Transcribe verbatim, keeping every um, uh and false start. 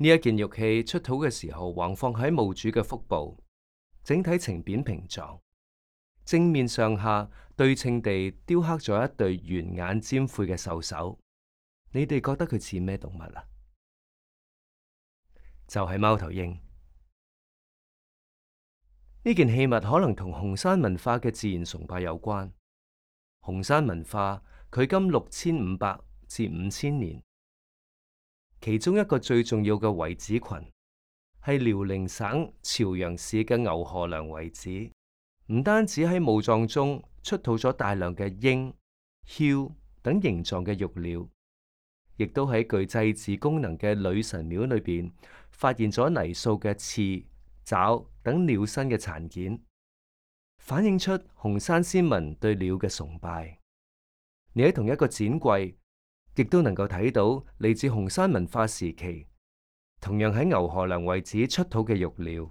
呢一件玉器出土嘅時候，橫放喺墓主嘅腹部，整體呈扁平狀，正面上下對稱地雕刻咗一對圓眼尖喙嘅獸首。你哋覺得佢似咩動物啊？就係貓頭鷹。呢件器物可能同紅山文化嘅自然崇拜有關。紅山文化距今六千五百至五千年，其中一個最重要嘅遺址群係遼寧省朝陽市嘅牛河梁遺址。唔單止喺墓葬中出土咗大量嘅鷹、梟等形狀嘅玉料，亦都喺具祭祀功能嘅女神廟裏邊發現咗泥塑嘅翅、爪等鳥身嘅殘件，反映出紅山先民對鳥嘅崇拜。你喺同一個展櫃，亦都能夠睇到嚟自紅山文化時期，同樣喺牛河梁遺址出土嘅玉料。